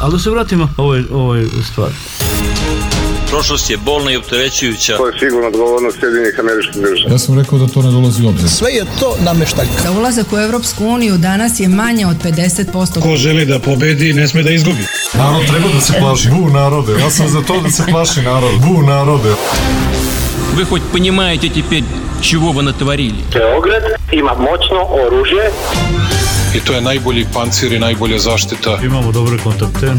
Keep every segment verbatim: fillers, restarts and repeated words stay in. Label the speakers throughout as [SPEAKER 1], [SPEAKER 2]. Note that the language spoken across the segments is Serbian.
[SPEAKER 1] Ali da se vratimo ovoj, ovoj stvari.
[SPEAKER 2] Prošlost je bolna i opterećujuća.
[SPEAKER 3] To je sigurno odgovornost Sjedinjenih Američkih Država.
[SPEAKER 4] Ja sam rekao da to ne dolazi u obzir.
[SPEAKER 5] Sve je to nameštaljka.
[SPEAKER 6] Za ulazak u Evropsku uniju danas je manje od pedeset posto.
[SPEAKER 7] Ko želi da pobedi, ne sme da izgubi.
[SPEAKER 4] Narod treba da se plaši. Bu narode. Ja sam za to da se plaši narod. Bu narode.
[SPEAKER 8] Вы хоть понимаете теперь, чего вы натворили?
[SPEAKER 9] Beograd ima moćno oružje.
[SPEAKER 7] I to je najbolji pancir i najbolja zaštita.
[SPEAKER 1] Imamo dobre kontakte.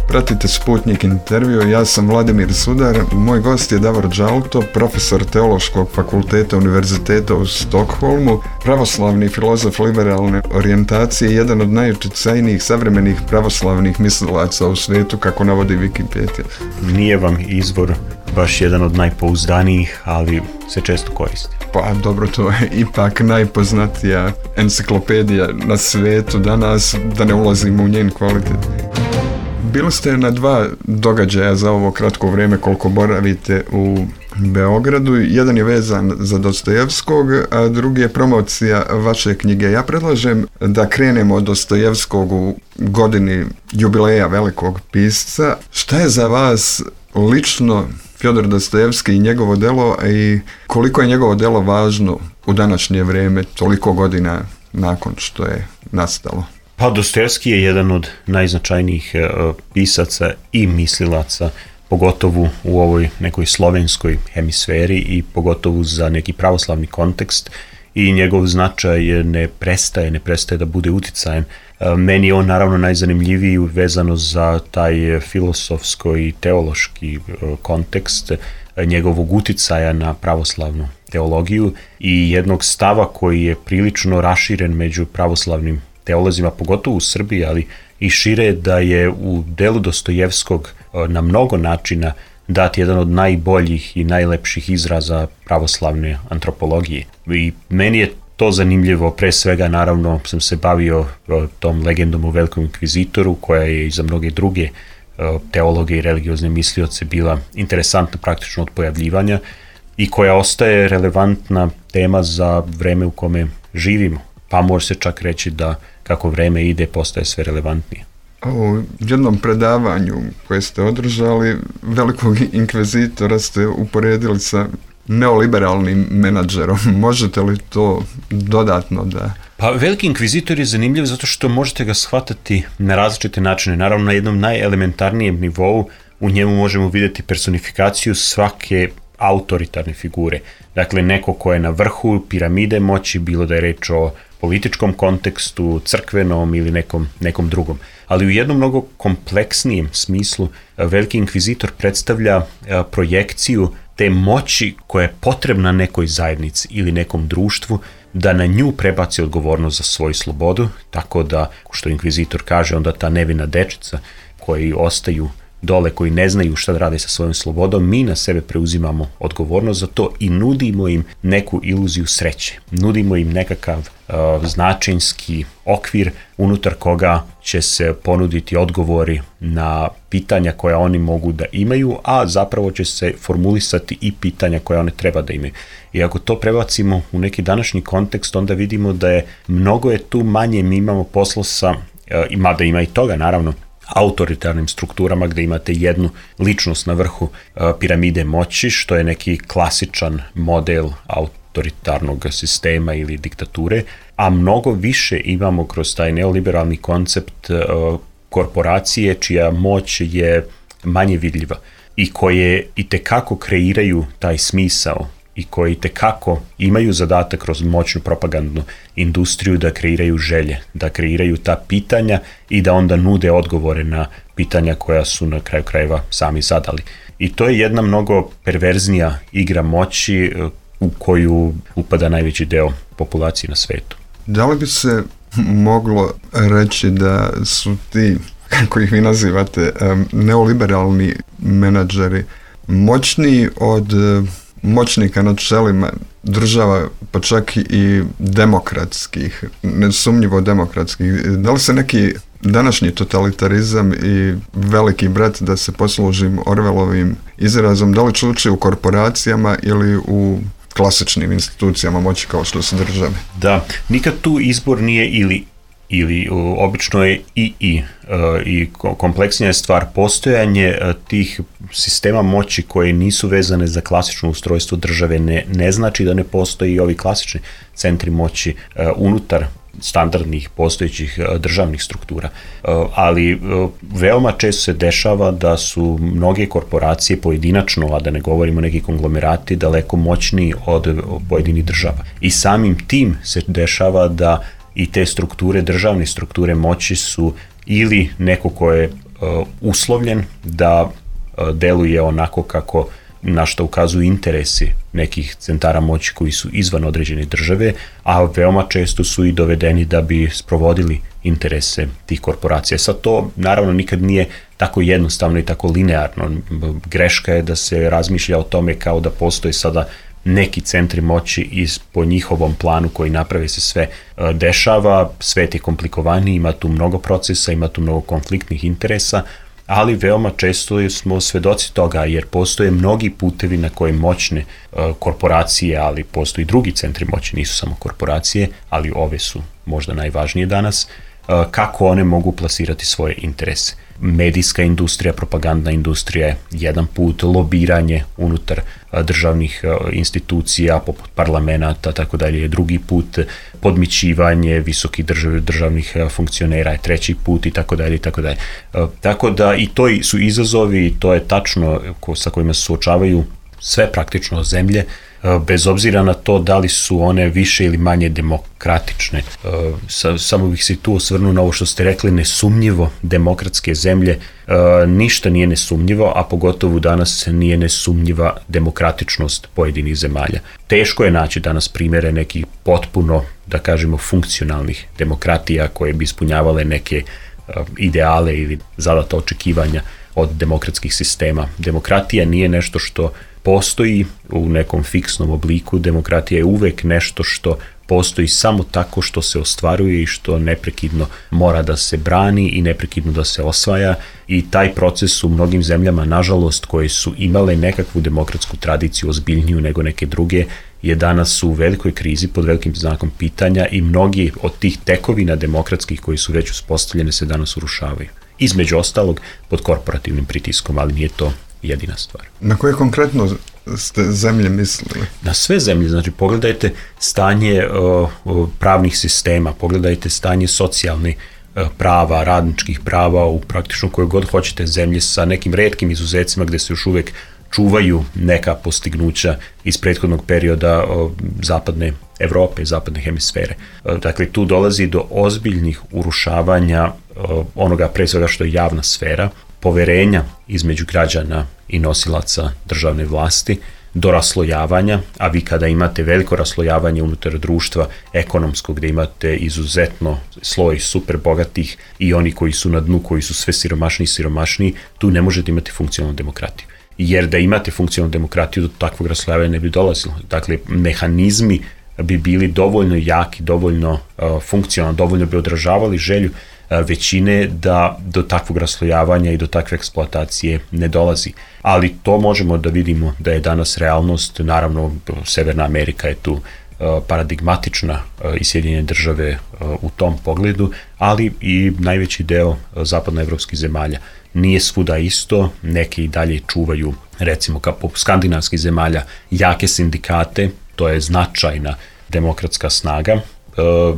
[SPEAKER 10] Pratite Sputnik intervju, ja sam Vladimir Sudar, moj gost je Davor Đalto, profesor Teološkog fakulteta Univerziteta u Stokholmu, pravoslavni filozof liberalne orijentacije i jedan od najuticajnijih savremenih pravoslavnih mislilaca u svijetu, kako navodi Wikipedia.
[SPEAKER 11] Nije vam izvor baš jedan od najpouzdanijih, ali se često koristi.
[SPEAKER 10] Pa dobro, to je ipak najpoznatija enciklopedija na svijetu danas, da ne ulazimo u njen kvalitet. Bili ste na dva događaja za ovo kratko vrijeme koliko boravite u Beogradu. Jedan je vezan za Dostojevskog, a drugi je promocija vaše knjige. Ja predlažem da krenemo od Dostojevskog u godini jubileja velikog pisca. Šta je za vas lično Fjodor Dostojevski i njegovo delo i koliko je njegovo delo važno u današnje vrijeme, toliko godina nakon što je nastalo?
[SPEAKER 11] Pa Dostojevski je jedan od najznačajnijih uh, pisaca i mislilaca, pogotovo u ovoj nekoj slovenskoj hemisferi i pogotovo za neki pravoslavni kontekst, i njegov značaj ne prestaje, ne prestaje da bude uticajan. Uh, meni je on naravno najzanimljiviji vezano za taj filosofsko i teološki uh, kontekst uh, njegovog uticaja na pravoslavnu teologiju i jednog stava koji je prilično raširen među pravoslavnim teolozima, pogotovo u Srbiji, ali i šire, da je u delu Dostojevskog na mnogo načina dat jedan od najboljih i najlepših izraza pravoslavne antropologije. I meni je to zanimljivo, pre svega naravno sam se bavio tom legendom o Velikom inkvizitoru, koja je i za mnoge druge teologe i religiozne mislioce bila interesantna praktično od pojavljivanja i koja ostaje relevantna tema za vreme u kome živimo. Pa može se čak reći da kako vreme ide postaje sve relevantnije.
[SPEAKER 10] U jednom predavanju koje ste održali, velikog inkvizitora ste uporedili sa neoliberalnim menadžerom. Možete li to dodatno da...
[SPEAKER 11] Pa veliki inkvizitor je zanimljiv zato što možete ga shvatati na različite načine. Naravno, na jednom najelementarnijem nivou u njemu možemo vidjeti personifikaciju svake autoritarne figure. Dakle, neko ko je na vrhu piramide moći, bilo da je reč o političkom kontekstu, crkvenom ili nekom, nekom drugom. Ali u jednom mnogo kompleksnijem smislu veliki inkvizitor predstavlja projekciju te moći koja je potrebna nekoj zajednici ili nekom društvu da na nju prebaci odgovornost za svoju slobodu, tako da, što inkvizitor kaže, onda ta nevina dečica koji ostaju dole, koji ne znaju šta da rade sa svojom slobodom, mi na sebe preuzimamo odgovornost za to i nudimo im neku iluziju sreće. Nudimo im nekakav uh, značajnski okvir unutar koga će se ponuditi odgovori na pitanja koja oni mogu da imaju, a zapravo će se formulisati i pitanja koja one treba da imaju. I ako to prebacimo u neki današnji kontekst, onda vidimo da je mnogo je tu manje, mi imamo posla sa, uh, mada ima i toga naravno, autoritarnim strukturama gdje imate jednu ličnost na vrhu uh, piramide moći, što je neki klasičan model autoritarnog sistema ili diktature, a mnogo više imamo kroz taj neoliberalni koncept uh, korporacije čija moć je manje vidljiva i koje itekako kreiraju taj smisao i koji tekako imaju zadatak kroz moćnu propagandnu industriju da kreiraju želje, da kreiraju ta pitanja i da onda nude odgovore na pitanja koja su na kraju krajeva sami zadali. I to je jedna mnogo perverznija igra moći u koju upada najveći deo populacije na svetu.
[SPEAKER 10] Da li bi se moglo reći da su ti, kako ih vi nazivate, neoliberalni menadžeri moćniji od moćnika na čelima država, pa čak i demokratskih, nesumnjivo demokratskih? Da li se neki današnji totalitarizam i veliki brat, da se poslužim Orwellovim izrazom, da li čuči u korporacijama ili u klasičnim institucijama moći kao što su države.
[SPEAKER 11] Da, nikad tu izbor nije ili ili obično je i i i kompleksnija je stvar postojanje tih sistema moći koje nisu vezane za klasično ustrojstvo države ne, ne znači da ne postoji i ovi klasični centri moći unutar standardnih postojećih državnih struktura, ali veoma često se dešava da su mnoge korporacije pojedinačno, a da ne govorimo neki konglomerati, daleko moćniji od pojedinih država. I samim tim se dešava da i te strukture, državne strukture moći su ili neko ko je uh, uslovljen da uh, deluje onako kako na što ukazuju interesi nekih centara moći koji su izvan određene države, a veoma često su i dovedeni da bi sprovodili interese tih korporacija. Sad to naravno nikad nije tako jednostavno i tako linearno. Greška je da se razmišlja o tome kao da postoji sada neki centri moći i po njihovom planu koji naprave se sve dešava, svet je komplikovaniji, ima tu mnogo procesa, ima tu mnogo konfliktnih interesa, ali veoma često smo svedoci toga jer postoje mnogi putevi na koje moćne korporacije, ali postoji drugi centri moći, nisu samo korporacije, ali ove su možda najvažnije danas, kako one mogu plasirati svoje interese. Medijska industrija, propagandna industrija je jedan put, lobiranje unutar državnih institucija poput parlamenta, tako dalje je drugi put, podmićivanje visokih držav, državnih funkcionera je treći put i tako dalje i tako dalje. Tako da i to su izazovi i to je tačno sa kojima se suočavaju sve praktično zemlje, bez obzira na to da li su one više ili manje demokratične. Samo bih se tu osvrnuo na ovo što ste rekli, nesumnjivo demokratske zemlje, ništa nije nesumnjivo, a pogotovo danas nije nesumnjiva demokratičnost pojedinih zemalja. Teško je naći danas primjere nekih potpuno, da kažemo, funkcionalnih demokratija koje bi ispunjavale neke ideale ili zadata očekivanja od demokratskih sistema. Demokratija nije nešto što postoji u nekom fiksnom obliku, demokratija je uvek nešto što postoji samo tako što se ostvaruje i što neprekidno mora da se brani i neprekidno da se osvaja i taj proces u mnogim zemljama, nažalost, koje su imale nekakvu demokratsku tradiciju ozbiljniju nego neke druge, je danas u velikoj krizi pod velikim znakom pitanja i mnogi od tih tekovina demokratskih koji su već uspostavljene se danas urušavaju. Između ostalog pod korporativnim pritiskom, ali nije to jedina stvar.
[SPEAKER 10] Na koje konkretno ste zemlje mislili?
[SPEAKER 11] Na sve zemlje, znači pogledajte stanje uh, pravnih sistema, pogledajte stanje socijalnih uh, prava, radničkih prava u praktično koje god hoćete zemlje sa nekim retkim izuzecima gde se još uvek čuvaju neka postignuća iz prethodnog perioda uh, zapadne Evrope, zapadne hemisfere. Uh, dakle, tu dolazi do ozbiljnih urušavanja uh, onoga pre svega što je javna sfera, poverenja između građana i nosilaca državne vlasti, do raslojavanja, a vi kada imate veliko raslojavanje unutar društva ekonomskog, gde imate izuzetno sloj super bogatih i oni koji su na dnu, koji su sve siromašniji i siromašniji, tu ne možete imati funkcionalnu demokratiju. Jer da imate funkcionalnu demokratiju, do takvog raslojavanja ne bi dolazilo. Dakle, mehanizmi bi bili dovoljno jaki, dovoljno uh, funkcionalni, dovoljno bi odražavali želju većine da do takvog raslojavanja i do takve eksploatacije ne dolazi. Ali to možemo da vidimo da je danas realnost, naravno Severna Amerika je tu paradigmatična i Sjedinjene države u tom pogledu, ali i najveći deo zapadnoevropskih zemalja. Nije svuda isto, neke i dalje čuvaju, recimo kao po skandinavskih zemalja, jake sindikate, to je značajna demokratska snaga.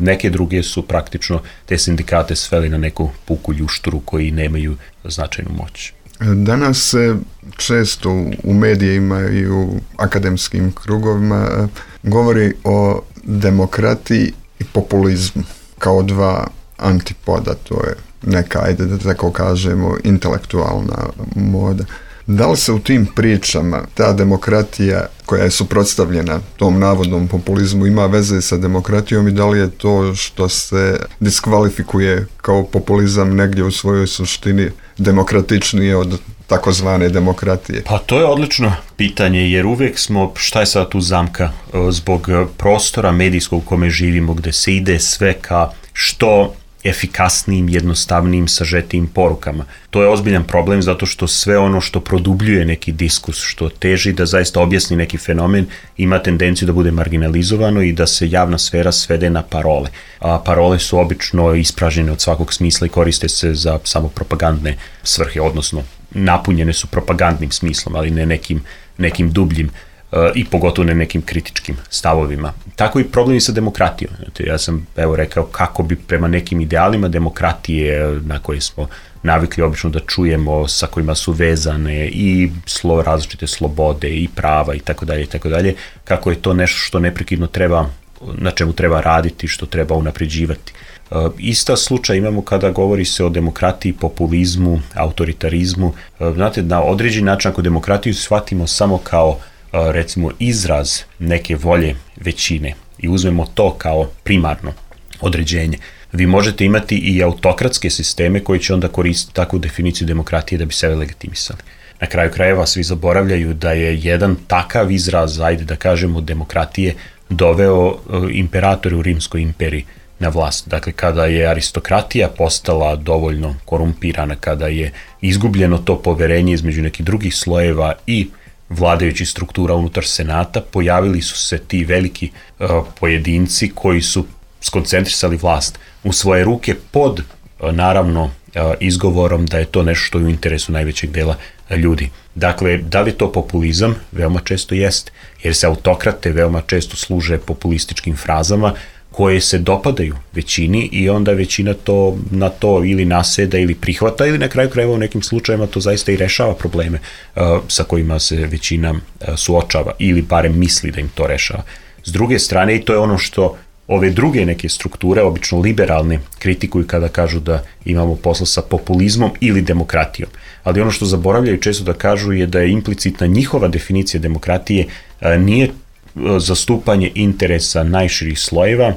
[SPEAKER 11] Neke druge su praktično te sindikate sveli na neku puku ljušturu koji nemaju značajnu moć.
[SPEAKER 10] Danas se često u medijima i u akademskim krugovima govori o demokratiji i populizmu kao dva antipoda, to je neka, ajde da tako kažemo, intelektualna moda. Da li se u tim pričama ta demokratija koja je suprotstavljena tom navodnom populizmu ima veze sa demokratijom i da li je to što se diskvalifikuje kao populizam negdje u svojoj suštini demokratičnije od takozvane demokratije?
[SPEAKER 11] Pa to je odlično pitanje jer uvijek smo, šta je sada tu zamka, zbog prostora medijskog u kome živimo gde se ide sve ka što efikasnijim, jednostavnijim, sažetijim porukama. To je ozbiljan problem zato što sve ono što produbljuje neki diskurs, što teži da zaista objasni neki fenomen, ima tendenciju da bude marginalizovano i da se javna sfera svede na parole. A parole su obično ispražnjene od svakog smisla i koriste se za samo propagandne svrhe, odnosno napunjene su propagandnim smislom, ali ne nekim, nekim dubljim i pogotovo ne nekim kritičkim stavovima. Tako i problem i sa demokratijom. Ja sam evo rekao kako bi prema nekim idealima demokratije na koje smo navikli obično da čujemo, sa kojima su vezane i slo, različite slobode i prava i tako dalje i tako dalje, kako je to nešto što neprekidno treba, na čemu treba raditi, što treba unapređivati. Ista slučaj imamo kada govori se o demokratiji, populizmu, autoritarizmu. Znate, na određeni način ako demokratiju shvatimo samo kao recimo izraz neke volje većine i uzmemo to kao primarno određenje, vi možete imati i autokratske sisteme koji će onda koristiti takvu definiciju demokratije da bi sebe legitimisali. Na kraju krajeva svi zaboravljaju da je jedan takav izraz, ajde da kažemo, demokratije doveo imperator u Rimskoj imperiji na vlast. Dakle, kada je aristokratija postala dovoljno korumpirana, kada je izgubljeno to poverenje između nekih drugih slojeva i vladajućih struktura unutar senata, pojavili su se ti veliki uh, pojedinci koji su skoncentrisali vlast u svoje ruke pod, uh, naravno, uh, izgovorom da je to nešto što je u interesu najvećeg dela uh, ljudi. Dakle, da li je to populizam? Veoma često jeste, jer se autokrate veoma često služe populističkim frazama koje se dopadaju većini i onda većina to na to ili naseda ili prihvata ili na kraju krajeva u nekim slučajevima to zaista i rešava probleme uh, sa kojima se većina uh, suočava ili barem misli da im to rešava. S druge strane, i to je ono što ove druge neke strukture, obično liberalne, kritikuju kada kažu da imamo posla sa populizmom ili demokratijom. Ali ono što zaboravljaju često da kažu je da je implicitna njihova definicija demokratije uh, nije zastupanje interesa najširih slojeva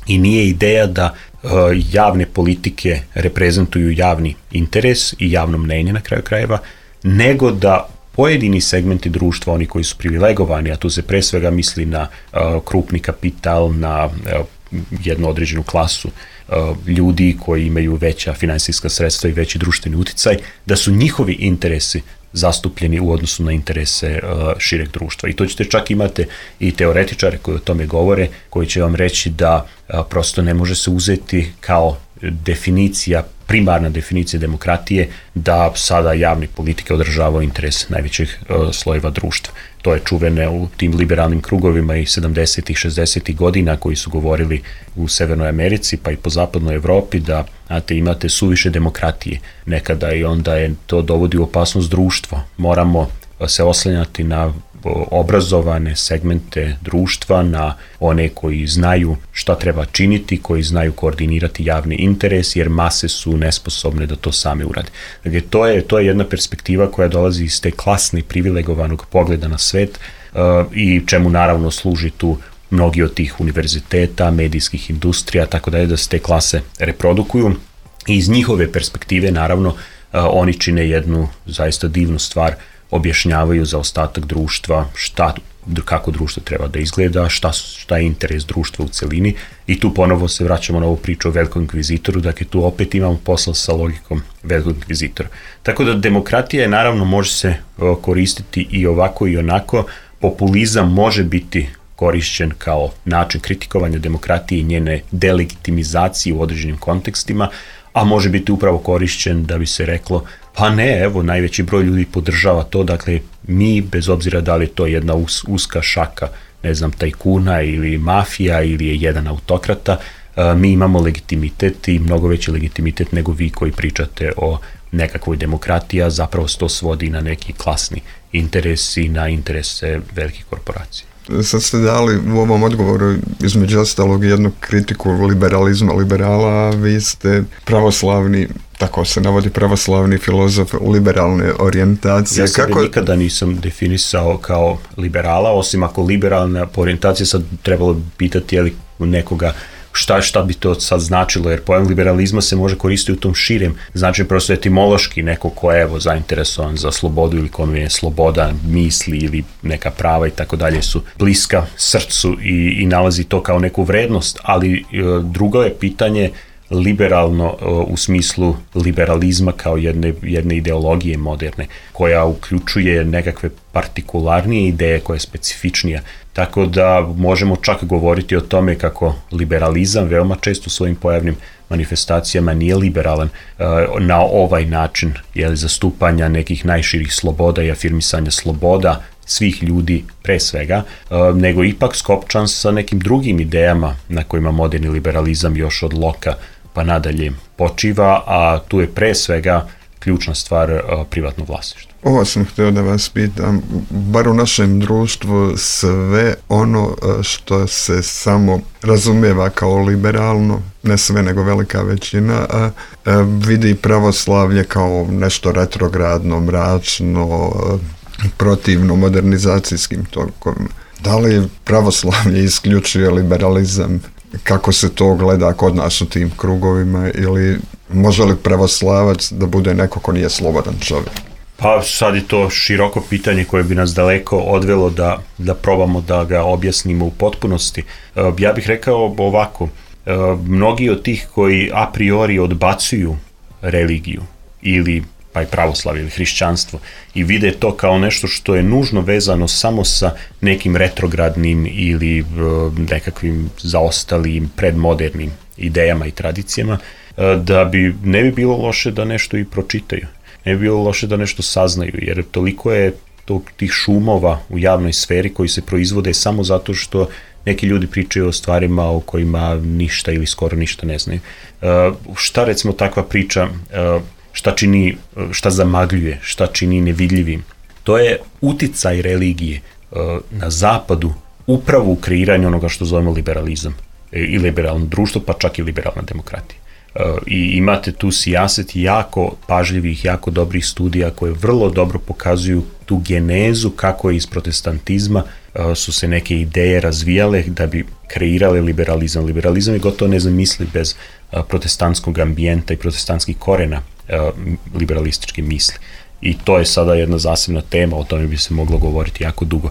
[SPEAKER 11] i nije ideja da uh, javne politike reprezentuju javni interes i javno mnenje na kraju krajeva, nego da pojedini segmenti društva, oni koji su privilegovani, a tu se pre svega misli na uh, krupni kapital, na uh, jednu određenu klasu uh, ljudi koji imaju veća finansijska sredstva i veći društveni uticaj, da su njihovi interesi zastupljeni u odnosu na interese uh, šireg društva. I to ćete čak imate i teoretičare koji o tome govore, koji će vam reći da uh, prosto ne može se uzeti kao definicija, primarna definicija demokratije da sada javne politike održavaju interese najvećih uh, slojeva društva. To je čuvene u tim liberalnim krugovima i sedamdesetih, šezdesetih godina koji su govorili u Severnoj Americi pa i po zapadnoj Evropi da znate, imate suviše demokratije nekada i onda je to dovodi u opasnost društva. Moramo se oslanjati na obrazovane segmente društva, na one koji znaju šta treba činiti, koji znaju koordinirati javni interes, jer mase su nesposobne da to same urade. Dakle, to je, to je jedna perspektiva koja dolazi iz te klasne privilegovanog pogleda na svet uh, i čemu naravno služi tu mnogi od tih univerziteta, medijskih industrija, tako da je da se te klase reprodukuju i iz njihove perspektive naravno uh, oni čine jednu zaista divnu stvar, objašnjavaju za ostatak društva šta, kako društvo treba da izgleda, šta, šta je interes društva u celini i tu ponovo se vraćamo na ovu priču o velikom inkvizitoru, dakle tu opet imamo posla sa logikom velikog inkvizitora. Tako da demokratija je naravno može se koristiti i ovako i onako, populizam može biti korišćen kao način kritikovanja demokratije i njene delegitimizacije u određenim kontekstima, a može biti upravo korišćen da bi se reklo pa ne, evo, najveći broj ljudi podržava to, dakle, mi, bez obzira da li je to jedna us, uska šaka, ne znam, tajkuna ili mafija ili je jedan autokrata, mi imamo legitimitet i mnogo veći legitimitet nego vi koji pričate o nekakvoj demokratiji, a zapravo se to svodi na neki klasni interes i na interese velikih korporacija.
[SPEAKER 10] Sad ste dali u ovom odgovoru između ostalog jednu kritiku liberalizma, liberala, a vi ste pravoslavni, tako se navodi, pravoslavni filozof liberalne orijentacije.
[SPEAKER 11] Ja sebe
[SPEAKER 10] Kako...
[SPEAKER 11] nikada nisam definisao kao liberala, osim ako liberalna orijentacija, sad trebalo pitati je li nekoga šta, šta bi to sad značilo, jer pojam liberalizma se može koristiti u tom širem, znači prosto etimološki neko ko je evo zainteresovan za slobodu ili kome je sloboda misli ili neka prava i tako dalje su bliska srcu i, i nalazi to kao neku vrednost, ali e, drugo je pitanje liberalno u smislu liberalizma kao jedne, jedne ideologije moderne, koja uključuje nekakve partikularnije ideje, koja je specifičnija. Tako da možemo čak govoriti o tome kako liberalizam veoma često u svojim pojavnim manifestacijama nije liberalan na ovaj način, jer zastupanja nekih najširih sloboda i afirmisanja sloboda svih ljudi pre svega, nego ipak skopčan sa nekim drugim idejama na kojima moderni liberalizam još od Loka pa nadalje počiva, a tu je pre svega ključna stvar privatno vlasništvo.
[SPEAKER 10] Ovo sam htio da vas pitam, bar u našem društvu sve ono što se samo razumijeva kao liberalno, ne sve nego velika većina, a, a, vidi pravoslavlje kao nešto retrogradno, mračno, protivno modernizacijskim tokovima. Da li pravoslavlje isključuje liberalizam? Kako se to gleda kod nas u tim krugovima, ili može li pravoslavac da bude neko ko nije slobodan čovjek?
[SPEAKER 11] Pa sad je to široko pitanje koje bi nas daleko odvelo da, da probamo da ga objasnimo u potpunosti. Ja bih rekao ovako, mnogi od tih koji a priori odbacuju religiju ili pa i pravoslavlje ili hrišćanstvo i vide to kao nešto što je nužno vezano samo sa nekim retrogradnim ili nekakvim zaostalim predmodernim idejama i tradicijama, da bi ne bi bilo loše da nešto i pročitaju. Ne bi bilo loše da nešto saznaju, jer toliko je tog, tih šumova u javnoj sferi koji se proizvode samo zato što neki ljudi pričaju o stvarima o kojima ništa ili skoro ništa ne znaju. Uh, šta recimo takva priča, uh, šta čini, šta zamagljuje, šta čini nevidljivim? To je uticaj religije uh, na zapadu upravo u kreiranju onoga što zovemo liberalizam i liberalno društvo, pa čak i liberalna demokratija. I imate tu sijaset jako pažljivih, jako dobrih studija koje vrlo dobro pokazuju tu genezu kako je iz protestantizma su se neke ideje razvijale da bi kreirale liberalizam. Liberalizam je gotovo nezamisliv bez protestantskog ambijenta i protestantskih korena liberalističke misli. I to je sada jedna zasebna tema, o tome bi se moglo govoriti jako dugo.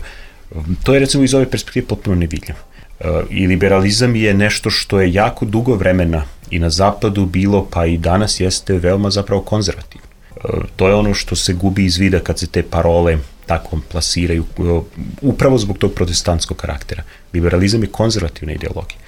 [SPEAKER 11] To je recimo iz ove perspektive potpuno nevidljivo. I liberalizam je nešto što je jako dugo vremena i na zapadu bilo, pa i danas jeste veoma zapravo konzervativno. To je ono što se gubi iz vida kad se te parole tako plasiraju, upravo zbog tog protestantskog karaktera. Liberalizam je konzervativna ideologija.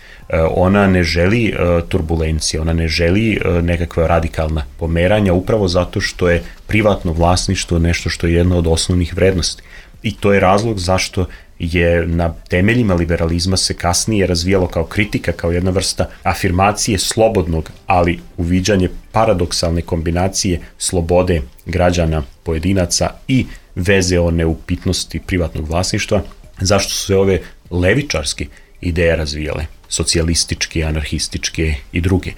[SPEAKER 11] Ona ne želi turbulencije, ona ne želi nekakva radikalna pomeranja, upravo zato što je privatno vlasništvo nešto što je jedna od osnovnih vrednosti. I to je razlog zašto je na temeljima liberalizma se kasnije razvijalo kao kritika, kao jedna vrsta afirmacije slobodnog, ali uviđanje paradoksalne kombinacije slobode građana, pojedinaca i veze o neupitnosti privatnog vlasništva. Zašto su se ove levičarske ideje razvijale, socijalističke, anarhističke i druge,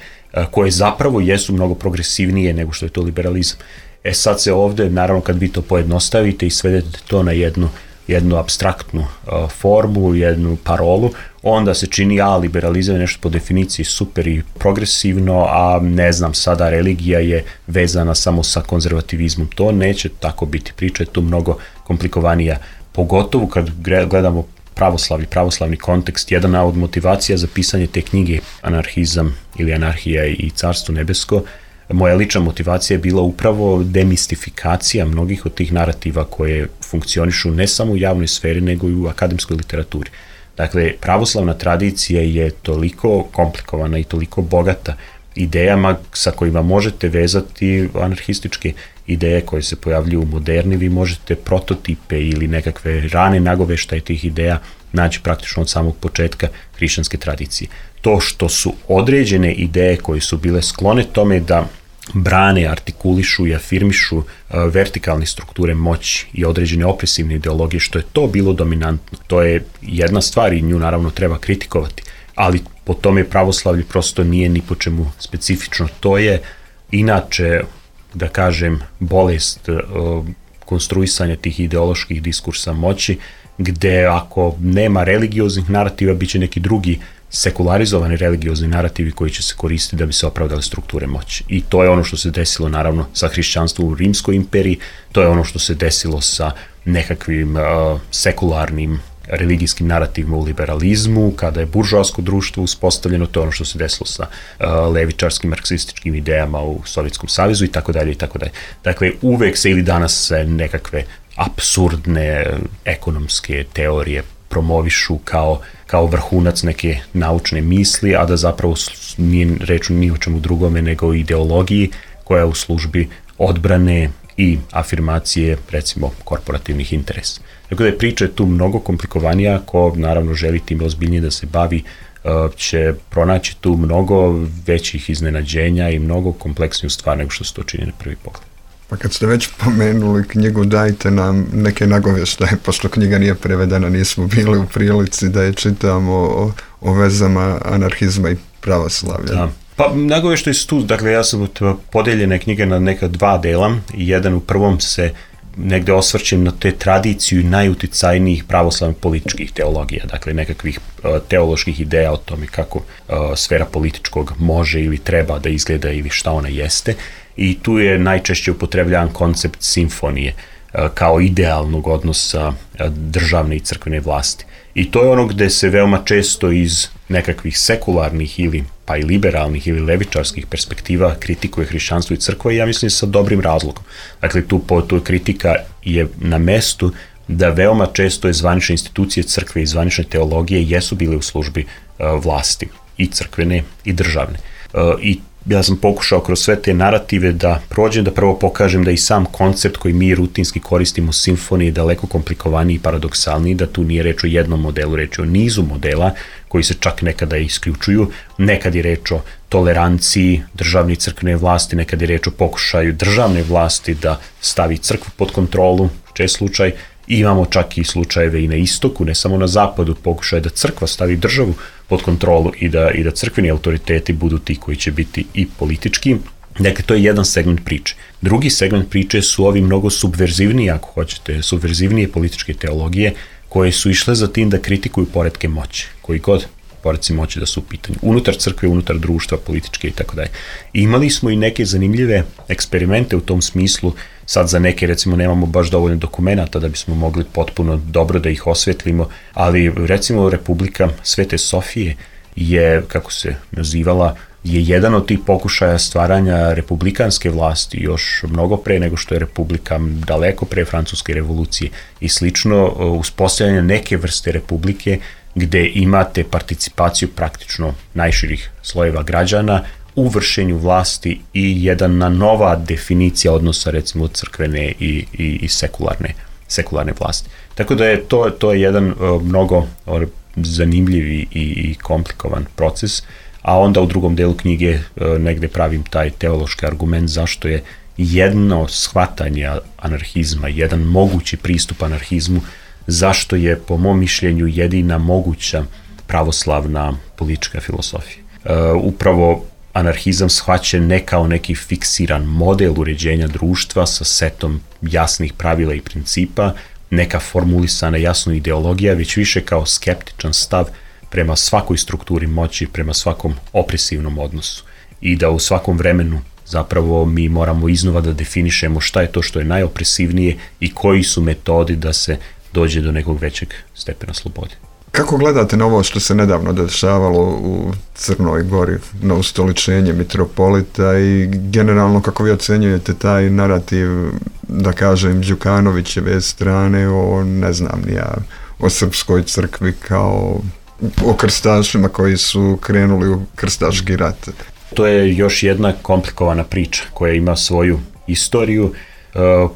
[SPEAKER 11] koje zapravo jesu mnogo progresivnije nego što je to liberalizam. E sad se ovde, naravno kad vi to pojednostavite i svedete to na jednu jednu apstraktnu uh, formu, jednu parolu, onda se čini, a liberalizam je nešto po definiciji super i progresivno, a ne znam, sada religija je vezana samo sa konzervativizmom. To neće tako biti. Priča je tu mnogo komplikovanija, pogotovo kad gledamo pravoslavni, pravoslavni kontekst. Jedna od motivacija za pisanje te knjige Anarhizam ili Anarhija i Carstvo nebesko, moja lična motivacija je bila upravo demistifikacija mnogih od tih narativa koje funkcionišu ne samo u javnoj sferi, nego i u akademskoj literaturi. Dakle, pravoslavna tradicija je toliko komplikovana i toliko bogata idejama sa kojima možete vezati anarhističke ideje koje se pojavljuju u moderni, vi možete prototipe ili nekakve rane nagoveštaje tih ideja naći praktično od samog početka hrišćanske tradicije. To što su određene ideje koje su bile sklone tome da brane, artikulišu i afirmišu uh, vertikalne strukture moći i određene opresivne ideologije, što je to bilo dominantno. To je jedna stvar i nju naravno treba kritikovati, ali po tome pravoslavlje prosto nije ni po čemu specifično. To je inače, da kažem, bolest uh, konstruisanja tih ideoloških diskursa moći, gde ako nema religioznih narativa, bit će neki drugi sekularizovani religiozni narativi koji će se koristiti da bi se opravdale strukture moći. I to je ono što se desilo naravno sa hrišćanstvom u Rimskoj imperiji, to je ono što se desilo sa nekakvim uh, sekularnim religijskim narativima u liberalizmu, kada je buržoasko društvo uspostavljeno, to je ono što se desilo sa uh, levičarskim marksističkim idejama u Sovjetskom savezu i tako dalje i tako dalje. Dakle, uvek se ili danas se nekakve apsurdne ekonomske teorije promovišu kao, kao vrhunac neke naučne misli, a da zapravo nije reč ni o čemu drugome nego o ideologiji koja je u službi odbrane i afirmacije, recimo, korporativnih interesa. Tako da je priča tu mnogo komplikovanija, ko naravno želi tim ozbiljnije da se bavi, će pronaći tu mnogo većih iznenađenja i mnogo kompleksniju stvar nego što se to čini na prvi pogled.
[SPEAKER 10] Pa kad ste već pomenuli knjigu, dajte nam neke nagovještaje, pošto knjiga nije prevedena, nismo bili u prilici da je čitamo o, o vezama anarhizma i pravoslavlja.
[SPEAKER 11] Da. Pa nagovještaje su tu, dakle ja sam podeljene knjige na neka dva dela, jedan u prvom se negde osvrćem na te tradiciju najuticajnijih pravoslavnih političkih teologija, dakle nekakvih uh, teoloških ideja o tome kako uh, sfera političkog može ili treba da izgleda ili šta ona jeste, i tu je najčešće upotrebljavan koncept simfonije uh, kao idealnog odnosa uh, državne i crkvene vlasti. I to je ono gde se veoma često iz nekakvih sekularnih ili pa i liberalnih ili levičarskih perspektiva kritikuje hrišćanstvo i crkva, i ja mislim sa dobrim razlogom. Dakle, tu, po, tu kritika je na mestu da veoma često je zvanične institucije crkve i zvanične teologije jesu bile u službi uh, vlasti, i crkvene i državne. Uh, I ja sam pokušao kroz sve te narative da prođem, da prvo pokažem da i sam koncept koji mi rutinski koristimo simfonije je daleko komplikovaniji i paradoksalniji, da tu nije reč o jednom modelu, reč je o nizu modela koji se čak nekada isključuju, nekad je reč o toleranciji državne i crkvene vlasti, nekad je reč o pokušaju državne vlasti da stavi crkvu pod kontrolu, čest slučaj, i imamo čak i slučajeve i na istoku, ne samo na zapadu, pokušaj da crkva stavi državu pod kontrolu i da, i da crkveni autoriteti budu ti koji će biti i politički. Dakle, to je jedan segment priče. Drugi segment priče su ovi mnogo subverzivniji, ako hoćete, subverzivnije političke teologije, koje su išle za tim da kritikuju poretke moći, koji god poredci moći da su u pitanju, unutar crkve, unutar društva, političke i tako dalje. Imali smo i neke zanimljive eksperimente u tom smislu, sad za neke recimo nemamo baš dovoljno dokumenata da bismo mogli potpuno dobro da ih osvetlimo, ali recimo Republika Svete Sofije je, kako se nazivala, je jedan od tih pokušaja stvaranja republikanske vlasti još mnogo pre nego što je republika, daleko pre Francuske revolucije i slično, uspostavljanje neke vrste republike gde imate participaciju praktično najširih slojeva građana u vršenju vlasti i jedna nova definicija odnosa recimo crkvene i, i, i sekularne, sekularne vlasti. Tako da je to, to je jedan uh, mnogo uh, zanimljiv i, i komplikovan proces, a onda u drugom delu knjige uh, negde pravim taj teološki argument zašto je jedno shvatanje anarhizma, jedan mogući pristup anarhizmu, zašto je po mom mišljenju jedina moguća pravoslavna politička filosofija. Uh, upravo anarhizam shvaćen ne kao neki fiksiran model uređenja društva sa setom jasnih pravila i principa, neka formulisana jasna ideologija, već više kao skeptičan stav prema svakoj strukturi moći, prema svakom opresivnom odnosu. I da u svakom vremenu zapravo mi moramo iznova da definišemo šta je to što je najopresivnije i koji su metodi da se dođe do nekog većeg stepena slobode.
[SPEAKER 10] Kako gledate na ovo što se nedavno dešavalo u Crnoj Gori, na ustoličenje mitropolita, i generalno kako vi ocenjujete taj narativ, da kažem, Đukanovićeve strane o, ne znam ni ja, o srpskoj crkvi kao o krstašima koji su krenuli u krstaški rat?
[SPEAKER 11] To je još jedna komplikovana priča koja ima svoju istoriju.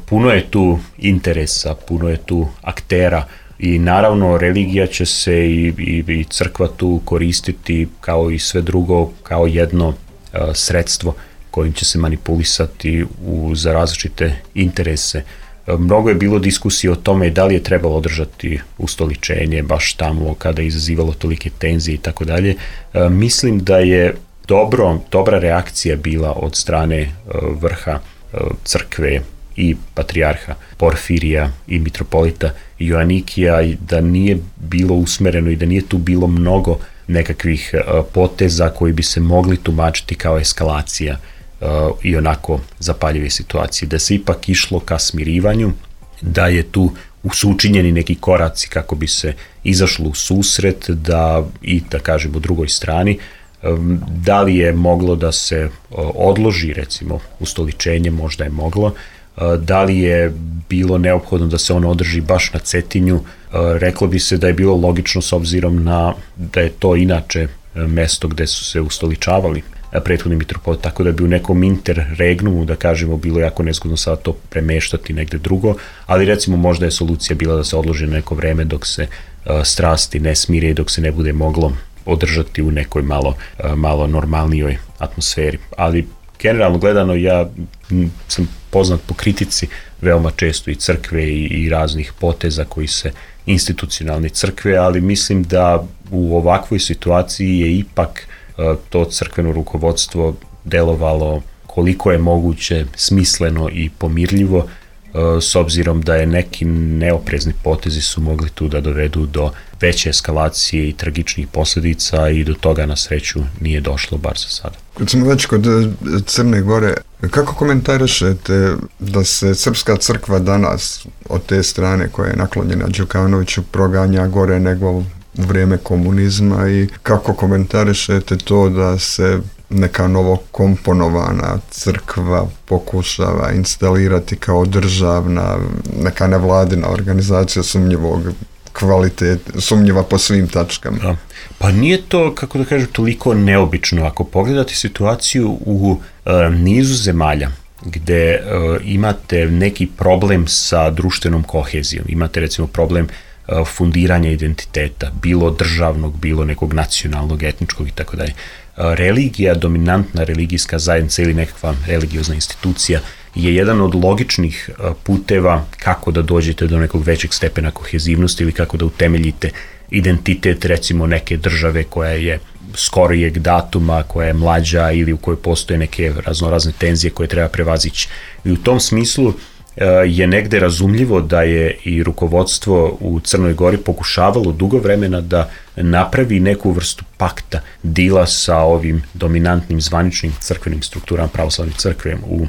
[SPEAKER 11] Puno je tu interesa, puno je tu aktera, i naravno religija će se i, i, i crkva tu koristiti kao i sve drugo kao jedno uh, sredstvo kojim će se manipulisati u, za različite interese. Uh, mnogo je bilo diskusije o tome da li je trebalo održati ustoličenje baš tamo kada je izazivalo tolike tenzije i tako dalje. Mislim da je dobro, dobra reakcija bila od strane uh, vrha uh, crkve i patrijarha Porfirija i mitropolita Joanikija, da nije bilo usmereno i da nije tu bilo mnogo nekakvih uh, poteza koji bi se mogli tumačiti kao eskalacija uh, i onako zapaljive situacije. Da se ipak išlo ka smirivanju, da je tu su učinjeni neki koraci kako bi se izašlo u susret da i da kažemo u drugoj strani. Da li je moglo da se odloži recimo ustoličenje, možda je moglo. Da li je bilo neophodno da se ono održi baš na Cetinju, reklo bi se da je bilo logično s obzirom na da je to inače mesto gde su se ustoličavali prethodni mitropolit, tako da bi u nekom interregnumu, da kažemo, bilo jako nezgodno sada to premeštati negde drugo, ali recimo možda je solucija bila da se odloži na neko vreme dok se strasti ne smire i dok se ne bude moglo održati u nekoj malo, malo normalnijoj atmosferi. Ali generalno gledano ja sam poznat po kritici veoma često i crkve i, i raznih poteza koji se institucionalne crkve, ali mislim da u ovakvoj situaciji je ipak to crkveno rukovodstvo delovalo koliko je moguće smisleno i pomirljivo, s obzirom da je neki neoprezni potezi su mogli tu da dovedu do veće eskalacije i tragičnih posljedica i do toga na sreću nije došlo, bar za sada.
[SPEAKER 10] Kad smo već kod Crne Gore, kako komentarišete da se Srpska crkva danas od te strane koja je naklonjena Đukanoviću proganja gore nego u vrijeme komunizma i kako komentarišete to da se neka novo komponovana crkva pokušava instalirati kao državna, neka nevladina organizacija sumnjivog kvaliteta, sumnjiva po svim tačkama?
[SPEAKER 11] Da. Pa nije to, kako da kažem, toliko neobično. Ako pogledate situaciju u e, nizu zemalja gde e, imate neki problem sa društvenom kohezijom, imate recimo problem e, fundiranja identiteta, bilo državnog, bilo nekog nacionalnog, etničkog i tako dalje. Religija, dominantna religijska zajednica ili nekakva religiozna institucija je jedan od logičnih puteva kako da dođete do nekog većeg stepena kohezivnosti ili kako da utemeljite identitet recimo neke države koja je skorijeg datuma, koja je mlađa ili u kojoj postoje neke raznorazne tenzije koje treba prevazići. I u tom smislu je negde razumljivo da je i rukovodstvo u Crnoj Gori pokušavalo dugo vremena da napravi neku vrstu pakta, dila sa ovim dominantnim zvaničnim crkvenim strukturama pravoslavne crkve u,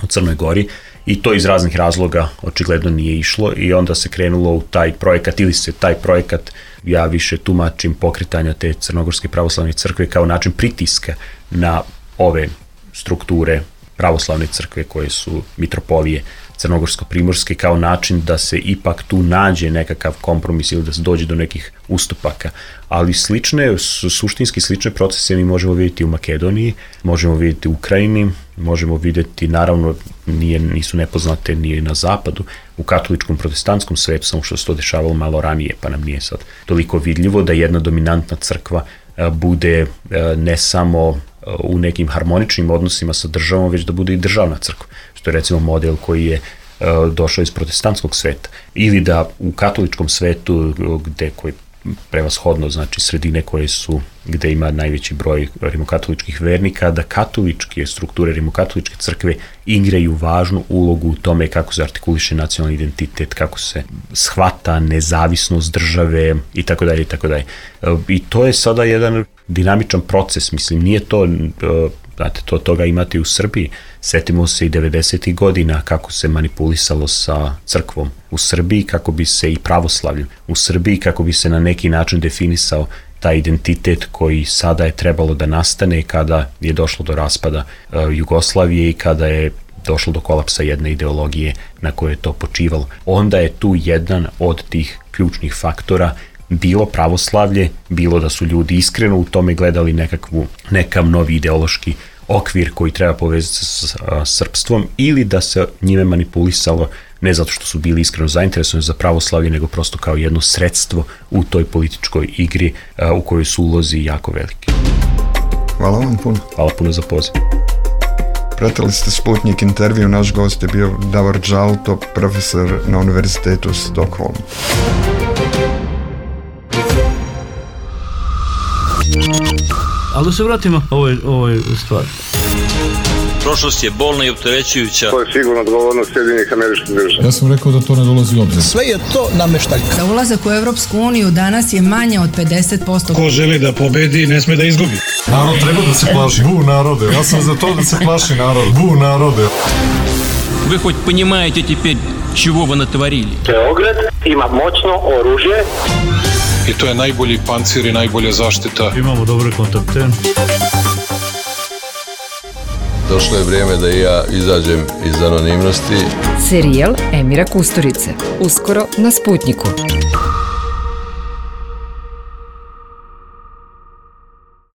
[SPEAKER 11] u Crnoj Gori i to iz raznih razloga očigledno nije išlo i onda se krenulo u taj projekat ili se taj projekat, ja više tumačim pokretanja te Crnogorske pravoslavne crkve kao način pritiska na ove strukture pravoslavne crkve koje su mitropolije crnogorsko-primorske kao način da se ipak tu nađe nekakav kompromis ili da se dođe do nekih ustupaka. Ali slične, suštinski slične procese mi možemo vidjeti u Makedoniji, možemo vidjeti u Ukrajini, možemo vidjeti, naravno, nije, nisu nepoznate ni na zapadu, u katoličkom protestantskom svetu, samo što se to dešavalo malo ranije, pa nam nije sad toliko vidljivo da jedna dominantna crkva bude ne samo u nekim harmoničnim odnosima sa državom, već da bude i državna crkva, što je recimo model koji je došao iz protestantskog sveta. Ili da u katoličkom svetu, gde koji prevashodno, znači sredine koje su, gde ima najveći broj rimokatoličkih vernika, da katoličke strukture, rimokatoličke crkve igraju važnu ulogu u tome kako se artikuliše nacionalni identitet, kako se shvata nezavisnost države i tako dalje i tako dalje. I to je sada jedan dinamičan proces, mislim, nije to, znate, to toga imate i u Srbiji. Setimo se i devedesetih godina kako se manipulisalo sa crkvom u Srbiji, kako bi se i pravoslavljem u Srbiji, kako bi se na neki način definisao taj identitet koji sada je trebalo da nastane kada je došlo do raspada uh, Jugoslavije i kada je došlo do kolapsa jedne ideologije na kojoj je to počivalo. Onda je tu jedan od tih ključnih faktora bilo pravoslavlje, bilo da su ljudi iskreno u tome gledali nekakvu, nekav novi ideološki okvir koji treba povezati sa srpstvom ili da se njime manipulisalo ne zato što su bili iskreno zainteresovani za pravoslavlje, nego prosto kao jedno sredstvo u toj političkoj igri u kojoj su ulozi jako veliki.
[SPEAKER 10] Hvala vam puno.
[SPEAKER 11] Hvala puno za poziv.
[SPEAKER 10] Pratili ste Sputnik intervju, naš gost je bio Davor Đalto, profesor na Univerzitetu u Stockholmu.
[SPEAKER 1] Ali da se vratimo ovoj, ovoj stvari.
[SPEAKER 2] Prošlost je bolna i opterećujuća.
[SPEAKER 3] To je sigurno odgovornost Sjedinjenih Američkih Država.
[SPEAKER 4] Ja sam rekao da to ne dolazi u obzir.
[SPEAKER 5] Sve je to nameštaljka.
[SPEAKER 6] Za ulazak u Evropsku uniju danas je manje od pedeset posto.
[SPEAKER 5] Ko želi da pobedi, ne sme da izgubi.
[SPEAKER 4] Narod treba da se plaši. Bu narode. Ja sam za to da se plaši narod. Bu narode.
[SPEAKER 8] Вы хоть понимаете теперь, чего вы натворили?
[SPEAKER 9] Beograd ima moćno oružje.
[SPEAKER 7] I to je najbolji pancir i najbolja zaštita.
[SPEAKER 1] Imamo dobre kontakte.
[SPEAKER 12] Došlo je vrijeme da i ja izađem iz anonimnosti.
[SPEAKER 13] Serijal Emira Kusturice. Uskoro na Sputniku.